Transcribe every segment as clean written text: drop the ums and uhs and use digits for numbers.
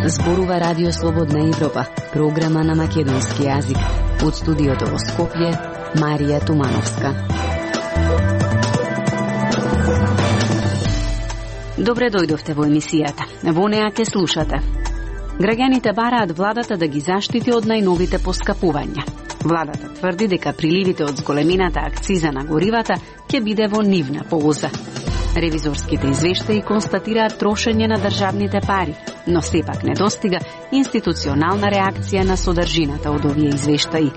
Зборува Радио Слободна Европа, програма на македонски јазик. Од студиото во Скопје, Марија Тумановска. Добре дојдовте во емисијата. Во неа ке слушате. Граѓаните бараат владата да ги заштити од најновите поскапувања. Владата тврди дека приливите од зголемената акциза на горивата ќе биде во нивна полза. Ревизорските извештаи констатираат трошење на државните пари, но сепак не достига институционална реакција на содржината од овие извештаи.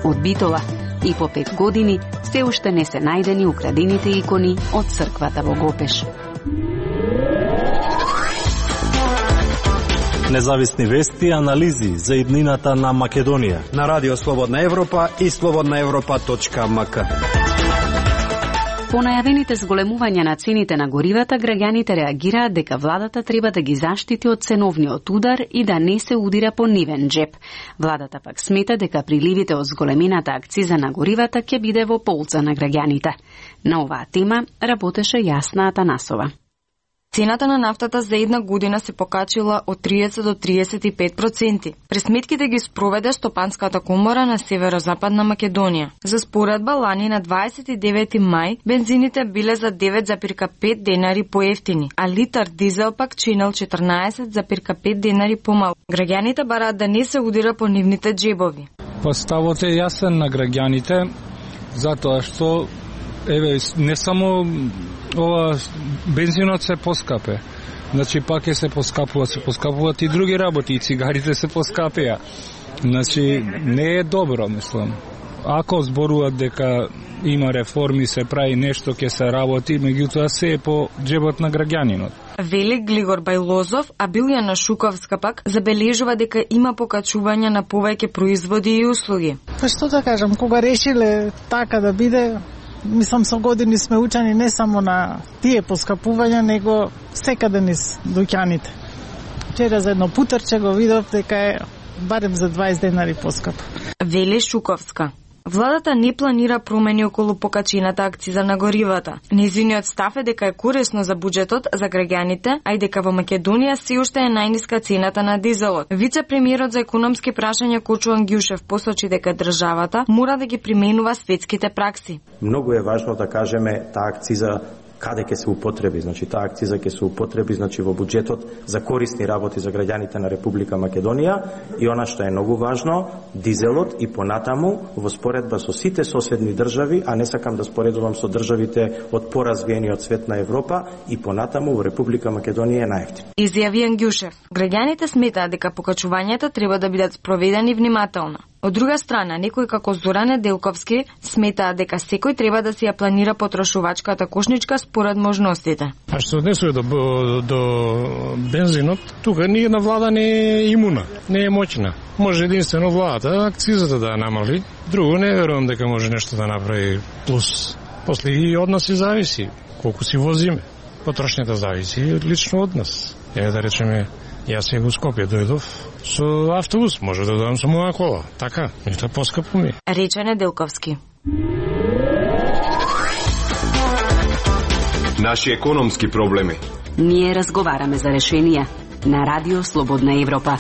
Од Битола и по 5 години се уште не се најдени украдените икони од црквата во Гопеш. Независни вести и анализи за иднината на Македонија на Радио Слободна Европа и slobodnaevropa.mk. По најавените зголемувања на цените на горивата, граѓаните реагираат дека владата треба да ги заштити од ценовниот удар и да не се удира по нивен джеп. Владата пак смета дека приливите од зголемената акциза на горивата ќе биде во полза на граѓаните. На оваа тема работеше Јасна Атанасова. Цената на нафтата за една година се покачила од 30 до 35%. Пресметките ги спроведе Стопанската комора на Северозападна Македонија. За споредба, лани на 29 мај бензините биле за 9,5 денари поевтини, а литар дизел пак чинел 14,5 денари помал. Граѓаните бараат да не се удира по нивните джебови. Поставот е јасен на граѓаните, затоа што не само ова бензинот се поскапе. Значи пак се поскапуваат и други работи, и цигарите се поскапеа. Значи не е добро, мислам. Ако зборуваат дека има реформи, се прави нешто, ќе се работи, меѓутоа се е по джебот на граѓанинот. Вели Глигор Бајлозов, а Билјана Шуковска пак забележува дека има покачување на повеќе производи и услуги. Па што да кажам, кога решиле така да биде, мислам со години сме учени не само на тие поскапувања, него секаде низ дуќаните. Вчера за едно путерче го видов дека е барем за 20 денари поскап. Вели Шуковска. Владата не планира промени околу покачената акциза на горивата. Незиниот став е дека е корисно за буџетот, за граѓаните, а и дека во Македонија се уште е најниска цената на дизелот. Вице-премиерот за економски прашања Кочуан Ѓушев посочи дека државата мора да ги применува светските пракси. Многу е важно да кажеме таа акциза каде ќе се употреби. Значи таа акциза ќе се употреби во буџетот за корисни работи за граѓаните на Република Македонија и она што е многу важно, дизелот и понатаму во споредба со сите соседни држави, а не сакам да споредувам со државите од поразвиениот свет на Европа, и понатаму во Република Македонија е најевтин. Изјави Ѓушев. Граѓаните сметаат дека покачувањата треба да бидат спроведени внимателно. Од друга страна, некои како Зоран Неделковски сметаат дека секој треба да си ја планира потрошувачката кошничка според можностите. А што однесува до бензинот, тука ни една влада не е имуна, не е моќна. Може единствено владата акцизата да намали, друго не верувам дека може нешто да направи плюс. После и од нас и зависи колку си возиме. Потрошњата зависи лично од нас. Еве да речеме, јас и во Скопје дојдов со автобус, може да дојдам со моја кола. Така, нешто поскапо ми. Рече Неделковски. Наши економски проблеми. Ние разговараме за решенија на Радио Слободна Европа.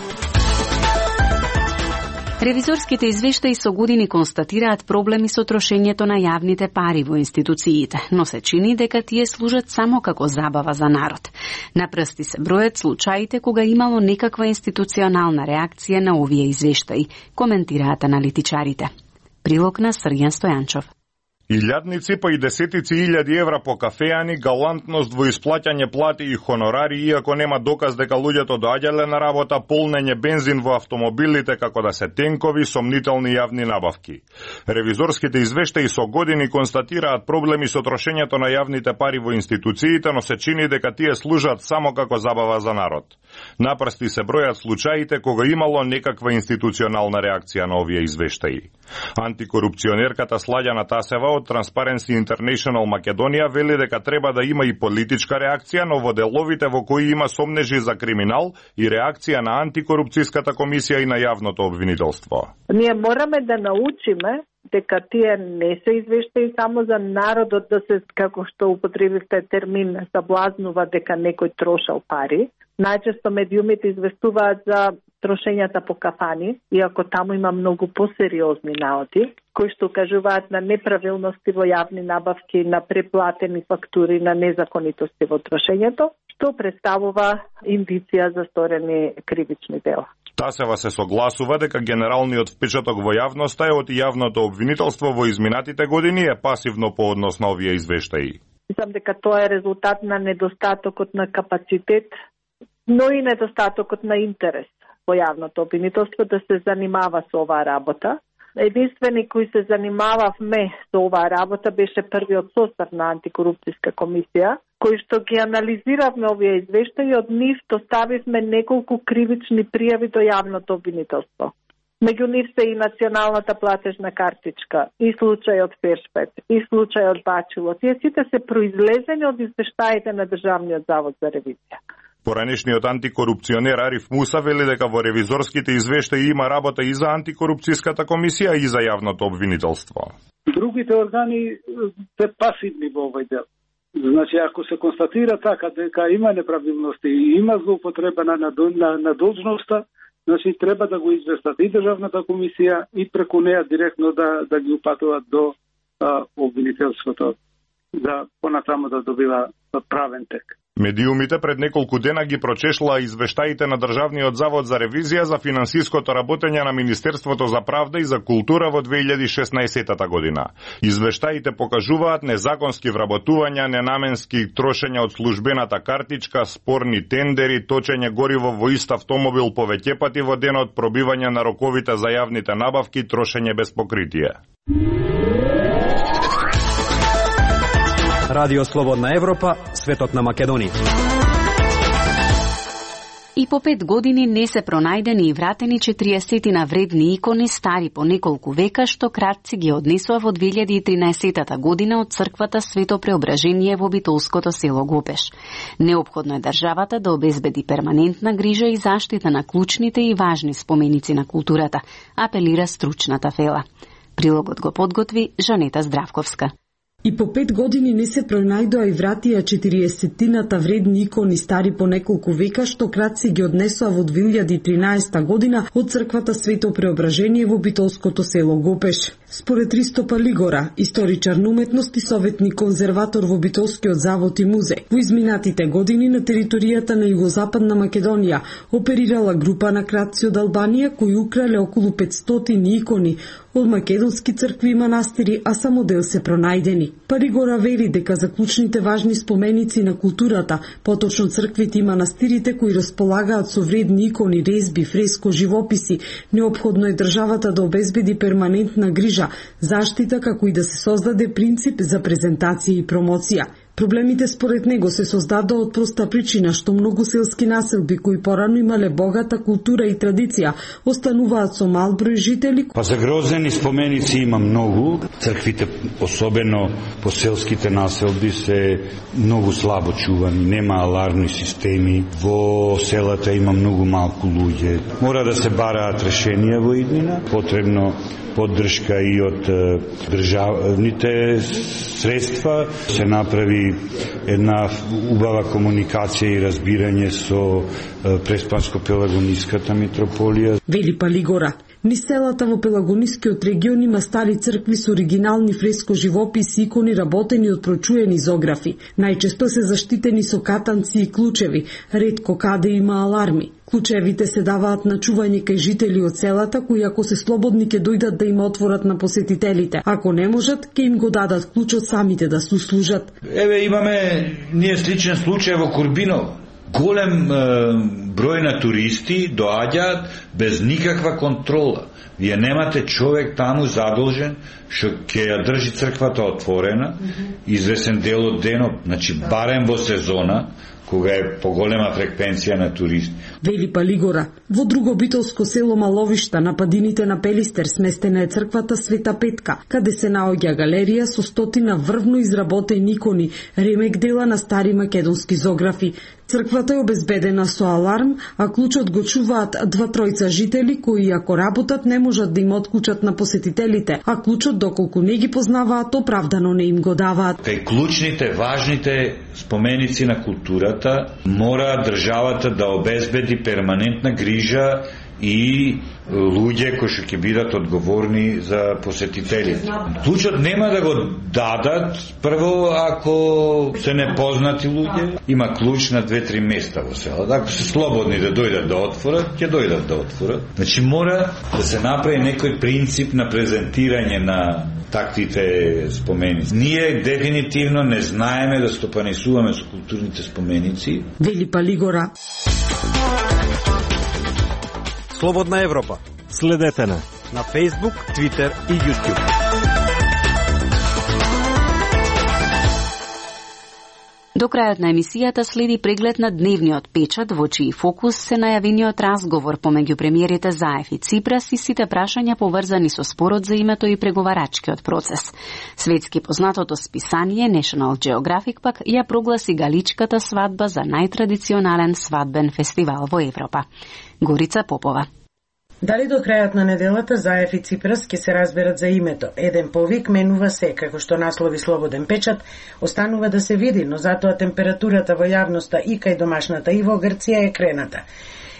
Ревизорските извештаи со години констатираат проблеми со трошењето на јавните пари во институциите, но се чини дека тие служат само како забава за народ. На прсти се бројат случаите кога имало некаква институционална реакција на овие извештаи, коментираат аналитичарите. Прилог на Срѓан Стојанчов. Илјадници па и десетици илјади евра по кафеани, галантност во исплаќање плати и хонорари, иако нема доказ дека луѓето доаѓале на работа, полнење бензин во автомобилите како да се тенкови, сомнителни јавни набавки. Ревизорските извештаи со години констатираат проблеми со трошењето на јавните пари во институциите, но се чини дека тие служат само како забава за народ. Напрсти се бројат случаите кога имало некаква институционална реакција на овие извештаи. Антикорупционерката Слаѓана Тасева од Transparency International Македонија вели дека треба да има и политичка реакција, но во деловите во кои има сомнежи за криминал и реакција на антикорупцијската комисија и на јавното обвинителство. Ние мораме да научиме дека тие не се извештаи само за народот да се, како што употребивте термин, заблазнува дека некој трошал пари. Најчесто медиумите известуваат за трошењата по кафани, иако таму има многу посериозни наоди, кои што укажуваат на неправилности во јавни набавки, на преплатени фактури, на незаконитости во трошењето, што представува индиција за сторени кривични дела. Тасева се согласува дека генералниот впечаток во јавноста е од јавното обвинителство во изминатите години е пасивно по однос на овие извештаи. Мислам дека тоа е резултат на недостатокот на капацитет, но и недостатокот на интерес во јавното обвинителство да се занимава со оваа работа. Единствени кои се занимававме со оваа работа беше првиот состав на антикорупцијска комисија, кои што ги анализиравме овие извештаи, од нив доставивме неколку кривични пријави до јавното обвинителство. Меѓу нив се и националната платежна картичка, и случајот Фершпет, и случајот Бачило. Тие сите се произлезени од извештаите на Државниот завод за ревизија. Поранешниот антикорупционер Ариф Муса вели дека во ревизорските извештаи има работа и за антикорупцијската комисија и за јавното обвинителство. Другите органи се пасивни во овој дел. Значи, ако се констатира така дека има неправилности и има злоупотреба на должноста, значи треба да го известат и Државната комисија и преку неа директно да ги упатуваат до обвинителството, да понатаму да добива правен тек. Медиумите пред неколку дена ги прочешлаа извештаите на Државниот завод за ревизија за финансиското работење на Министерството за правда и за култура во 2016 година. Извештаите покажуваат незаконски вработувања, ненаменски трошења од службената картичка, спорни тендери, точење гориво во ист автомобил повеќе пати во денот, пробивање на роковите за јавните набавки, трошење без покритие. Радио Слободна Европа, светот на Македонија. И по 5 години не се пронајдени и вратени 40 вредни икони стари по неколку века што кратци ги однесува во 2013 година од црквата Свето Преображение во битолското село Гопеш. Неопходно е државата да обезбеди перманентна грижа и заштита на клучните и важни споменици на културата, апелира стручната фела. Прилогот го подготви Жанета Здравковска. И по 5 години не се пронајдоа и вратија 40-тината вредни икони стари по неколку века што кратци ги однесоа во 2013 година од црквата Свето Преображение во битолското село Гопеш. Според Ристо Палигора, историчар на уметност и советник конзерватор во Битолскиот завод и музеј, во изминатите години на територијата на Југозападна Македонија оперирала група на кратци од Албанија кои украле околу 500 икони од македонски цркви и манастири, а само дел се пронајдени. Паригора вери дека за клучните важни споменици на културата, поточно црквите и манастирите кои располагаат со вредни икони, резби, фреско, живописи, неопходно е државата да обезбеди перманентна грижа, заштита како и да се создаде принцип за презентација и промоција. Проблемите според него се создадоа од проста причина што многу селски населби кои порано имале богата култура и традиција остануваат со мал број жители. Па загрозени споменици има многу. Црквите, особено по селските населби, се многу слабо чувани, нема алармни системи. Во селата има многу малку луѓе. Мора да се бараат решенија во иднина, потребно поддршка и од државните средства, се направи една убава комуникација и разбирање со Преспанско-Пелагониската митрополија. Вели Палигора, низ селата во Пелагонискиот регион има стари цркви со оригинални фреско живописи и икони работени од прочуени зографи. Најчесто се заштитени со катанци и клучеви, ретко каде има аларми. Клучевите се даваат на чување кај жители од селата, кои ако се слободни ќе дојдат да им отворат на посетителите. Ако не можат, ќе им го дадат клучот самите да се услужат. Еве имаме ние сличен случај во Курбиново. Голем број на туристи доаѓаат без никаква контрола. Вие немате човек таму задолжен што ќе ја држи црквата отворена, извесен дел од денот, значи барем во сезона, кога е поголема фреквенција на туристи. Вели Палигора, во друго битолско село Маловишта на падините на Пелистер сместена е црквата Света Петка, каде се наоѓа галерија со стотина врвно изработени икони, ремек дела на стари македонски зографи. Црквата е обезбедена со аларм, а клучот го чуваат 2-3 жители кои ако работат не можат да им отклучат на посетителите, а клучот доколку не ги познаваат оправдано не им го даваат. Кај клучните, важните споменици на културата мора државата да обезбеди перманентна грижа и луѓе кои што ќе бидат одговорни за посетителите. Клучот нема да го дадат прво ако се непознати луѓе. Има клуч на 2-3 места во селото. Ако се слободни да дојдат да отворат, ќе дојдат да отворат. Значи мора да се направи некој принцип на презентирање на таквите споменици. Ние дефинитивно не знаеме да стопанисуваме со културните споменици. Вели Палигора. Слободна Европа. Следете на Facebook, Twitter и YouTube. До крајот на емисијата следи преглед на дневниот печат, во чиј фокус се најавениот разговор помеѓу премиерите Заев и Ципрас и сите прашања поврзани со спорот за името и преговарачкиот процес. Светски познатото списание National Geographic пак ја прогласи галичката свадба за најтрадиционален свадбен фестивал во Европа. Горица Попова. Дали до крајот на неделата Заев и Ципрас ќе се разберат за името? Еден повик менува се, како што наслови Слободен печат, останува да се види, но затоа температурата во јавноста и кај домашната и во Грција е крената.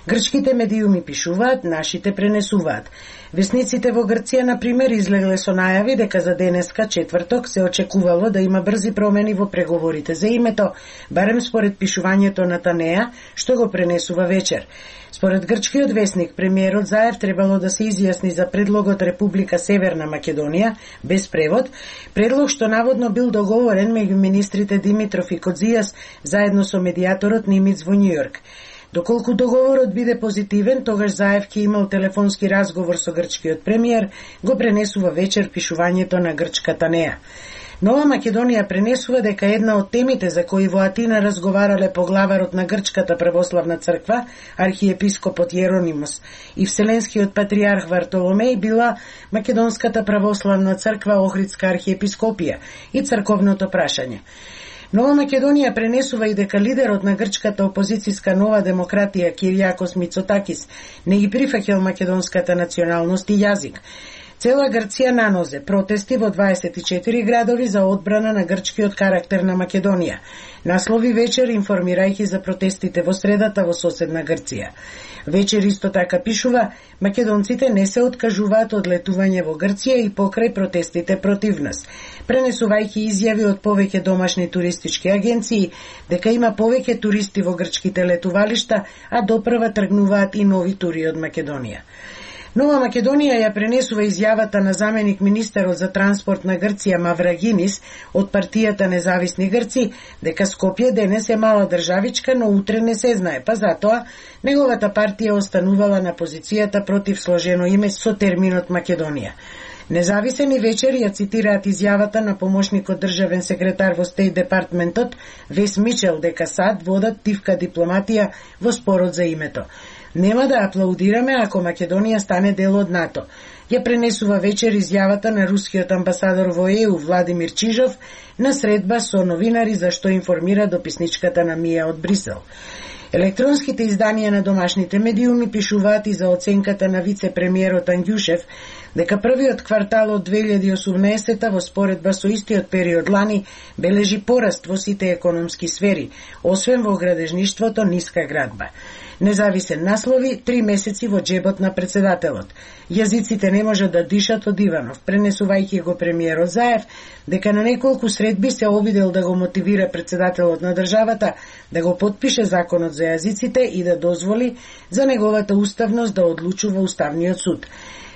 Грчките медиуми пишуваат, нашите пренесуваат. Весниците во Грција, например, излегле со најави дека за денеска, четврток, се очекувало да има брзи промени во преговорите за името, барем според пишувањето на Танеа, што го пренесува вечер. Според грчкиот весник, премиерот Заев требало да се изјасни за предлогот Република Северна Македонија, без превод, предлог што наводно бил договорен меѓу министрите Димитров и Кодзијас заедно со медијаторот Нимиц во Њујорк. Доколку договорот биде позитивен, тогаш Заев ќе имал телефонски разговор со грчкиот премиер, го пренесува вечер пишувањето на грчката Неа. Нова Македонија пренесува дека една од темите за кои во Атина разговарале поглаварот на Грчката православна црква, архиепископот Јеронимос и Вселенскиот патриарх Вартоломеј била Македонската православна црква Охридска архиепископија и црковното прашање. Нова Македонија пренесува и дека лидерот на грчката опозицијска Нова демократија Киријакос Мицотакис не ги прифаќал македонската националност и јазик. Цела Грција на нозе протести во 24 градови за одбрана на грчкиот карактер на Македонија. Наслови вечер информирајќи за протестите во средата во соседна Грција. Вечер исто така пишува, македонците не се откажуваат од летување во Грција и покрај протестите против нас, пренесувајќи изјави од повеќе домашни туристички агенции дека има повеќе туристи во грчките летувалишта, а допрва тргнуваат и нови тури од Македонија. Нова Македонија ја пренесува изјавата на заменик министерот за транспорт на Грција Маврагинис од партијата Независни Грци дека Скопје денес е мала државичка, но утре не се знае, па затоа неговата партија останувала на позицијата против сложено име со терминот Македонија. Независен и вечер ја цитираат изјавата на помошникот државен секретар во Стейт департментот Вес Мичел дека САД водат тивка дипломатија во спорот за името. Нема да аплаудираме ако Македонија стане дел од НАТО. Ја пренесува вечер изјавата на рускиот амбасадор во ЕУ Владимир Чижов на средба со новинари за што информира дописничката на Мија од Брисел. Електронските изданија на домашните медиуми пишуваат и за оценката на вице-премиерот Ангјушев дека првиот квартал од 2018 во споредба со истиот период лани бележи пораст во сите економски сфери, освен во градежништвото ниска градба. Независен наслови 3 месеци во джебот на председателот. Јазиците не можат да дишат од Иванов, пренесувајќи го премиерот Заев дека на неколку средби се обидел да го мотивира председателот на државата да го потпише законот за јазиците и да дозволи за неговата уставност да одлучува Уставниот суд.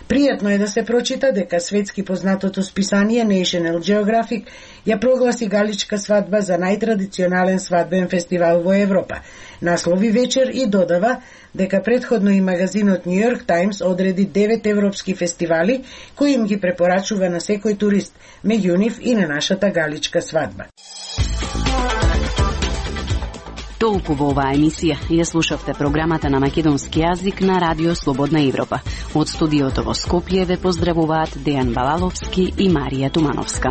Пријатно е да се прочита дека светски познатото списание National Geographic ја прогласи галичка свадба за најтрадиционален свадбен фестивал во Европа. Наслови вечер и додава дека претходно и магазинот New York Times одреди 9 европски фестивали кои им ги препорачува на секој турист, меѓу нив и на нашата галичка свадба. Толку во оваа емисија ја слушавте програмата на македонски јазик на Радио Слободна Европа. Од студиото во Скопје ве поздравуваат Дејан Балаловски и Марија Тумановска.